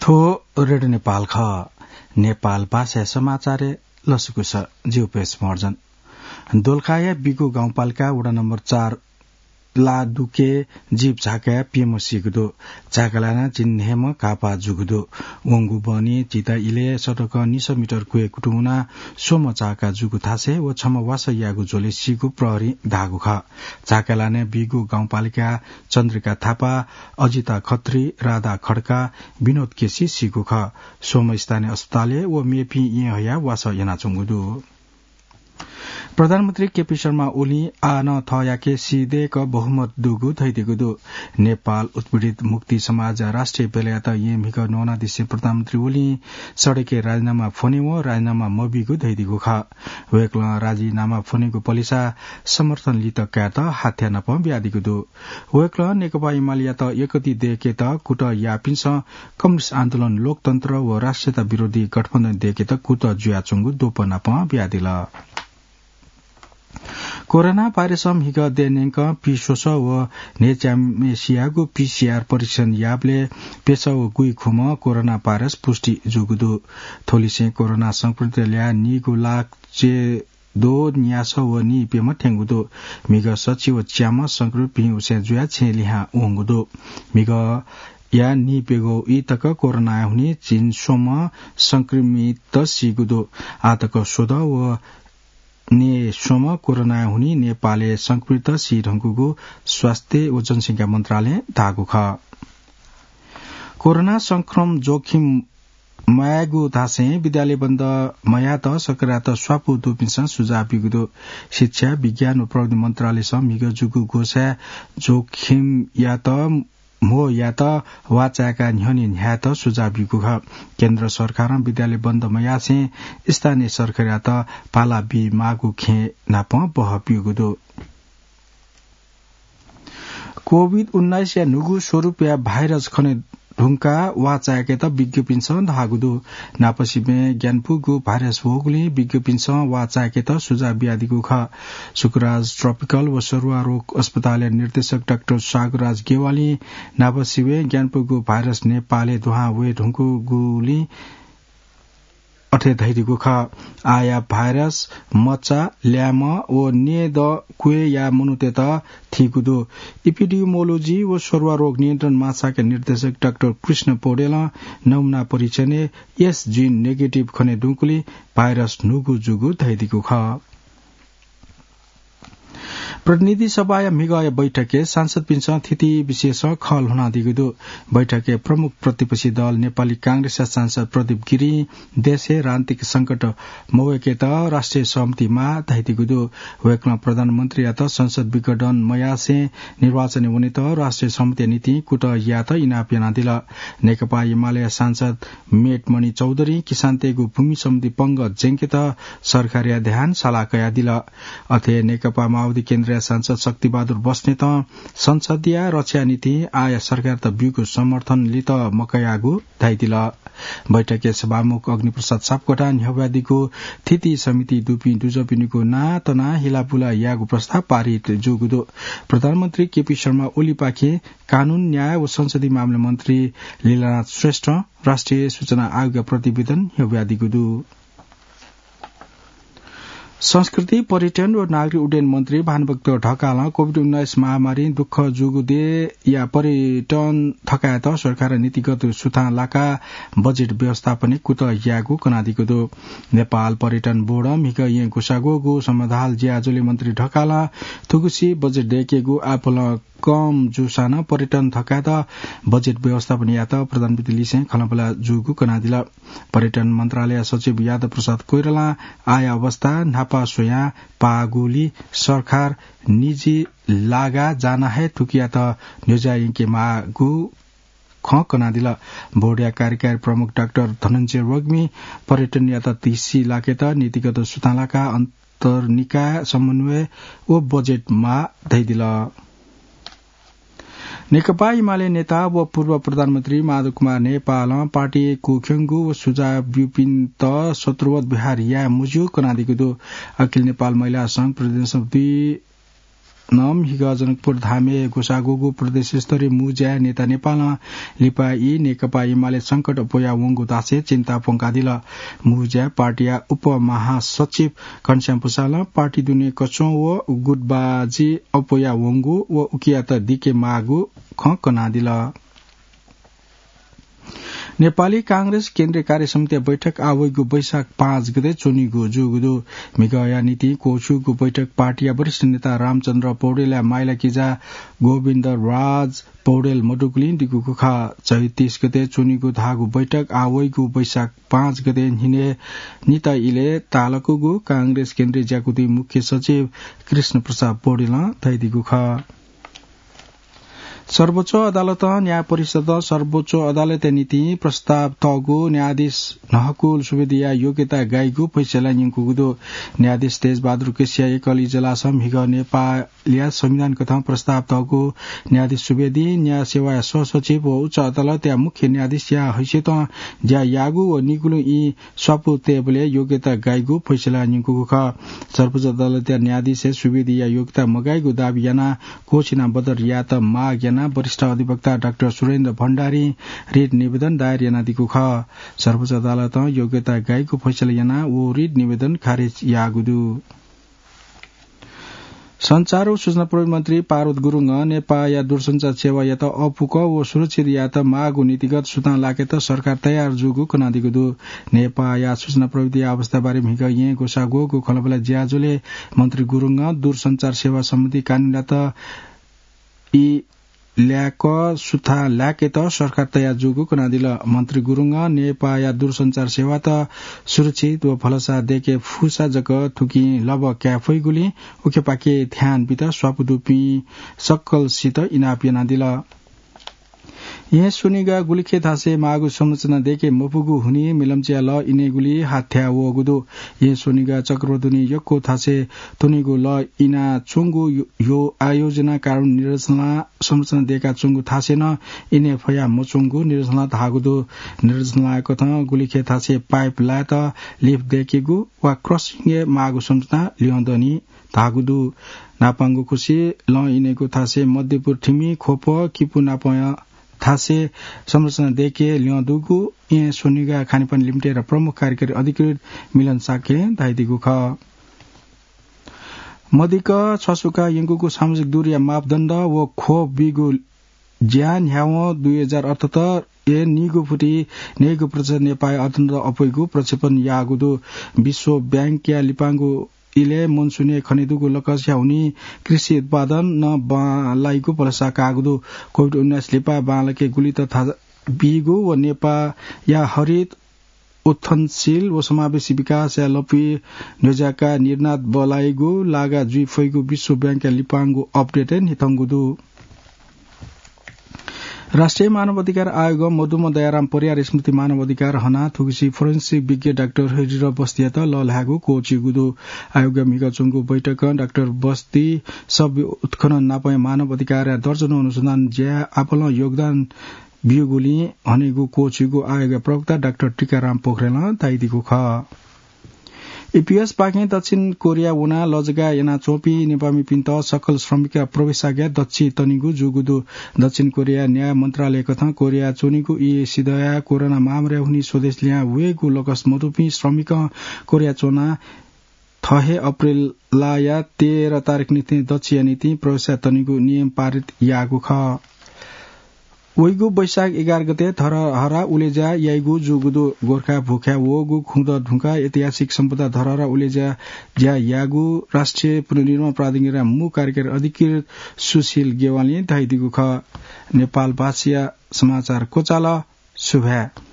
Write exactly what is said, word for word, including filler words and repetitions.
थ्व रेडियो नेपाल खः। नेपाल भाषाया समाचारय् लसकुस। जिगु पेश महर्जन। दोलखाया बिगु गाउँपालिका वडा नम्बर चार लादुके जीप झाकाय् प्यम्ह सीगु दु। झाका लानाः झिंन्हय्म्ह घाःपाः जूगु दु। वंगु बहनी झिता इलय् सडकं निस मिटर क्वय् कुतुं वनाः स्वम्ह झाका जूगु थासय् व छम्ह वासः याःगु झ्वलय् सीगु प्रहरीं धाःगु खः। झाका लानाय् बीगु गाउँपालिका चन्द्रिका थापा, अजिता खत्री, राधा खड्का, विनोद केसी सीगु खः। स्वम्ह स्थानीय अस्पतालय् व मेपिं येँ हयाः वासः यानाच्वंगु दु। प्रधानमन्त्री केपी शर्मा ओलीं आः नं थःयाके सीदय्क बहुमत दुगु धयादीगु दु। नेपाल उत्पीडित मुक्ति समाज राष्ट्रिय बेलायात येँ म्हिगः न्वनादिसें प्रधानमन्त्री ओलीं सडकय् राजीनामा फ्वनेवं राजीनामा मबीगु धयादीगु खः। वय्कलं राजीनामा फ्वनेगु पलिसा समर्थन लित कायेत हाथ्या नापं बियादीगु दु। वय्कलं नेकपा एमालेयात यकति दय्केत कुतः याःपिन्सं कम्युनिस्ट आन्दोलन, लोकतन्त्र व राष्ट्रियता विरोधी गठबन्धन दय्केत कुतः जुयाच्वंगु द्वपं नापं बियादिल। कोरोना भाइरसं म्हिगः दँय् न्यंकं पीस्वसः व न्हय्च्याम्हेसियागु पीसीआर परीक्षण याःबलय् प्यसः व गुइखुम्ह कोरोना भाइरस पुष्टि जूगु दु। थ्वलिसें कोरोना संक्रमित ल्याः नीगु लाख च्यय्द्वः न्यासः व नीप्यम्ह थ्यंगु दु। म्हिगः सछि व च्याम्ह संक्रमित भिं उसाँय् जुयाः छेँय् लिहां वंगु दु। म्हिगःया नीप्यघौ ई तक कोरोनाया हुनिं झिंस्वम्ह संक्रमित सीगु दु। आः तक स्वदँ व नयेस्वम्ह कोरोनाया हुनिं नेपालय् संक्रमित सी धुंकूगु स्वास्थ्य व जनसंख्या मन्त्रालयं धाःगु खः। कोरोना संक्रमण जोखिम मयायेगु धासें विद्यालय बन्द मयायेत सरकारयात स्वापू दुपिन्सं सुझाव ब्यूगु दु। शिक्षा, विज्ञान व प्रविधि मन्त्रालयसं म्हिगः जूगु ग्वसाः जोखिमयात म्हो यायेत वाःचाय्का न्ह्यःने न्ह्यायेत सुझाव ब्यूगु खः। केन्द्र सरकारं विद्यालय बन्द मयासें स्थानीय सरकारयात पाला बीमाःगु खँय् नापं बहः ब्यूगु दु। कोभिड उन्नाइसया न्हूगु स्वरूपया भाइरस खने धुंकाः वाःचाय्केत विज्ञपिन्सं धाःगु दु। न्हापासिबें ग्यानापुगु भाइरस वःगुलिं विज्ञपिन्सं वाःचाय्केत सुझाव बियादीगु खः। शुक्रराज ट्रपिकल व सरुवा रोग अस्पतालया निर्देशक डाक्टर सागरराज गेवालीं न्हापासिबें ग्यानापुगु भाइरस नेपालय् दुहां वये धुंकूगुलिं अथे धयादीगु खः। आःया भाइरस मचा, ल्याय्म्ह व नयेदँ क्वय्या मनूतय्त थीगु दु। इपिडिमियोलोजी व सरुवा रोग नियन्त्रण महाशाखा निर्देशक डाक्टर कृष्ण पौडेलं नमुना परीक्षणय् एस जिन नेगेटिभ खने धुंकूलिं भाइरस न्हूगु जूगु धयादीगु खः। प्रतिनिधि सभाया म्हिगःया बैठकय् सांसदपिन्सं थीथी विषयसं खँ ल्ह्वनादीगु दु। बैठकय् प्रमुख प्रतिपक्षी दल नेपाली कांग्रेसया सांसद प्रदीप गिरिं देशय् राजनीतिक संकट मवय्केत राष्ट्रिय सहमति माः धयादीगु दु। वय्कलं प्रधानमन्त्रीयात संसद विघटन मयासें निर्वाचनय् वनेत राष्ट्रिय सहमतिया निंतिं कुतः यायेत इनाप यानादिल। नेकपा एमालेया सांसद मेटमणि चौधुरीं किसानतय्गु भूमि सम्बन्धी पंगः ज्यंकेत सरकारया ध्यान साला कयादिल। अथे नेकपा माओवादी केन्द्रया सांसद शक्तिबहादुर बस्नेतं संसदया रक्षाया निंतिं आःया सरकारयात ब्यूगु समर्थन लित मकयाःगु धयादिल। बैठकय् सभामुख अग्निप्रसाद सापकोटां न्ह्यब्वयादीगु थीथी समिति दुपिं दुजःपिनिगु नां तनाः हिलाबुला यायेगु प्रस्ताव पारित जूगु दु। प्रधानमन्त्री केपी शर्मा ओलीपाखें कानून, न्याय व संसदीय मामला मन्त्री लीलानाथ श्रेष्ठं राष्ट्रिय सूचना आयोगया प्रतिवेदन न्ह्यब्वयादीगु दु। संस्कृति, पर्यटन व नागरिक उड्डयन मन्त्री भानुभक्त ढकालं कोभिड उन्नाइस महामारीं दुःख जूगु देय्या पर्यटन थकायेत सरकारं नीतिगत सुथां लाकाः बजेट व्यवस्थापनय् कुतः यायेगु कनादीगु दु। नेपाल पर्यटन बोर्डं म्हिगः येँ ग्वसाः ग्वःगु समाधाल ज्याझ्वलय् मन्त्री ढकालं थुगुसी बजेट दय्केगु आपालं कम जूसां नं पर्यटन थकायेत बजेट व्यवस्थापन यायेत प्रधानमन्त्री लिसें खँल्हाबल्हा जूगु कनादिल। पर्यटन मन्त्रालय सचिव यादव प्रसाद कोइरालां आःया अवस्था न्हापा स्वयां पाःगुलिं सरकार निजी लागा जानाः हे थुकियात न्ह्यज्यायंके माःगु खँ कनादिल। बोर्डया कार्यकारी प्रमुख डाक्टर धनञ्जय रोग्मीं पर्यटनयात तिसी लाकेत नीतिगत सुथां लाकाः अन्तर्निकाय समन्वय व बजेट माः धयादिल। नेकपा एमाले नेता व पूर्व प्रधानमन्त्री माधव कुमार नेपालं पार्टी क्वख्यंगु व सुझाव ब्यूपिन्त सत्रवत व्यवहार याये मज्यू कनादीगु दु। अखिल नेपाल महिला संघ प्रदेश समिति नं म्हिगः जनकपुर धामय् ग्वसाः ग्वःगु प्रदेश स्तरीय मू ज्याय् नेता नेपालं लिपा ई नेकपा एमाले संकट अप्वया वंगु धासें चिन्ता प्वंकादिल। मू ज्याय् पार्टीया उपमहासचिव घनश्याम भुसालं पार्टी दुने कच्वं व गुटबाजी अप्वया वंगु व उकियात दिके माःगु खँ कनादिल। नेपाली कांग्रेस केन्द्रीय कार्य समितिया बैठक आः वइगु वैशाख पाँच गते च्वनीगु जूगु दु। म्हिगःया निंतिं क्वःछिउगु बैठक पार्टीया वरिष्ठ नेता रामचन्द्र पौडेलया माइला किजा गोविन्द राज पौडेल मदुगुलिं दिगुगु खः। चैत तीस गते च्वनीगु धाःगु बैठक आः वइगु वैशाख पाँच गते न्हिनय् नित इलय् तालकूगु कांग्रेस केन्द्रीय ज्याकुथिं मुख्य सचिव कृष्ण प्रसाद पौडेलं धयादीगु खः। सर्वोच्च अदालतं न्याय परिषदं सर्वोच्च अदालतया निंतिं प्रस्ताव तःगु न्यायाधीश न्हकुल सुवेदीया योग्यता गाइगु फैसला न्यंकूगु दु। न्यायाधीश तेजबहादुर कैसिया एकल इजलासं म्हिगः नेपालया संविधान कथं प्रस्ताव तःगु न्यायाधीश सुवेदीं न्याय सेवाया सहसचिव व उच्च अदालतया मुख्य न्यायाधीशया हैसियतं ज्या याःगु व निगुलिं ई स्वापू तयेबलय् योग्यता गाइगु फैसला न्यंकूगु खः। सर्वोच्च अदालतया न्यायाधीशय् सुवेदीया योग्यता मगाइगु दाबी यानाः क्वःछिना बदर यायेत माग यानाः वरिष्ठ अधिवक्ता डाक्टर सुरेन्द्र भण्डारीं रिट निवेदन दायर यानादीगु खः। सर्वोच्च अदालतं योग्यता गाइगु फैसला यानाः व रिट निवेदन खारेज याःगु दु। सञ्चार व सूचना प्रविधि मन्त्री पार्वत गुरुङं नेपाःया दूरसञ्चार सेवायात अःपुक व सुरक्षित यायेत माःगु नीतिगत सुथां लाकेत सरकार तयार जूगु कनादीगु दु। नेपाःया सूचना प्रविधि अवस्थाबारे म्हिगः येँ ग्वसाः ग्वःगु खँल्हाबल्हा ज्याझ्वलय् मन्त्री गुरुङं दूरसञ्चार सेवा सम्बन्धी कानूनयात ई ल्याक सुथां लाकेत सरकार तयार जूगु कनादिल। मन्त्री गुरुङं नेपाःया दूरसञ्चार सेवात सुरक्षित व भलसा दयेके फुसा जक थुकिं लबः काये फइगुलिं उखेपाखे ध्यान बीत स्वापू दुपिं सकलसित इनाप यानादिल। येँ स्वनिगः गुलिखे थासय् माःगु संरचना दयेके मफुगु हुनिं मिलम्चिया लः इनेगुली हाथ्याः वःगु दु। येँ स्वनिगः चक्रधुनी यक्व थासय् त्वनीगु लः इनाच्वंगु यो, यो आयोजना कारण निरञ्जना संरचना दयेकाच्वंगु थासय् नं इने फया मच्वंगु निरञ्जनां धाःगु दु। निरञ्जनां कथं गुलिखे थासय् पाइप लायेत लिफ्ट दयेकेगु वा क्रसिङय् माःगु संरचना ल्यं दनि धाःगु दु। नापांगु खुसि लँ इनेगु थासय् मध्यपुर थिमि ख्वप किपु नापं थासय् संरचना दयेके ल्यं दुगु येँ स्वनिगः खानेपानी लिमिटेडया प्रमुख कार्यकारी अधिकृत मिलन शाक्यं धयादीगु खः। मदिक्क छ्वासुका यंकूगु सामाजिक दूरीया मापदण्ड व ख्वप बीगु ज्या न्ह्यावं दुई हजार अठहत्तर ए नीगु फुति नीगु प्रतिशत नेपाःया अर्थतन्त्र अप्वइगु प्रक्षेपण याःगु दु। विश्व बैंकया लिपांगु इलय् मनसुनय् खनेदुगु लकसया हुनिं कृषि उत्पादन नं बांलाइगु भलसा काःगु दु। कोभिड उन्नाइस लिपा बांलाके गुलित थासय् बीगु व नेपाःया हरित उत्थनशील व समावेशी विकासया लँपुइ न्ह्यज्याकाः निर्णात बलाइगु लागा जुइ फइगु विश्व बैंकया लिपांगु अपडेटय् न्ह्यथंगु दु। राष्ट्रिय मानवाधिकार आयोगं मदुम्ह दयाराम परियार स्मृति मानवाधिकार हनाः थुगुसी फोरेन्सिक विज्ञ डाक्टर हरिहर बस्तीयात लःल्हायेगु क्वःछिउगु दु। आयोगया म्हिगः च्वंगु बैठकं डाक्टर बस्ती शव उत्खनन नापं मानवाधिकारया दर्जनौं अनुसन्धान ज्याय् आपालं योगदान ब्यूगुलिं हनेगु क्वःछिउगु आयोगया प्रवक्ता डाक्टर टीकाराम पोखरेलं धयादीगु खः। इपिएसपाखें दक्षिण कोरिया वनाः लजगाः यानाच्वंपिं नेपाःमिपिन्त सकल श्रमिकया प्रवेशाज्ञा दच्छि तनिगु जूगु दु। दक्षिण कोरिया न्याय मन्त्रालयकथं कोरिया च्वनीगु ई सिधया कोरोना महामारीया हुनिं स्वदेश लिहां वयेगु लकस मदुपिं श्रमिकं कोरिया च्वनाः थः हे अप्रेलया तेह्र तारिख निंतिं दच्छि यानाः निंतिं प्रवेशाज्ञा तनिगु नियम पारित याःगु खः। वइगु वैशाख एघार गते धरहरा उलेज्या याइगु जूगु दु। गोर्खा भूखाय् वःगु खुँदँ धुंकाः ऐतिहासिक सम्पदा धरहरा उलेज्या ज्या याःगु राष्ट्रिय पुनर्निर्माण प्राधिकरणया मू कार्यकारी अधिकृत सुशील गेवालीं धयादीगु खः। नेपाल भाषाया समाचार क्वचाल। सुभाय्।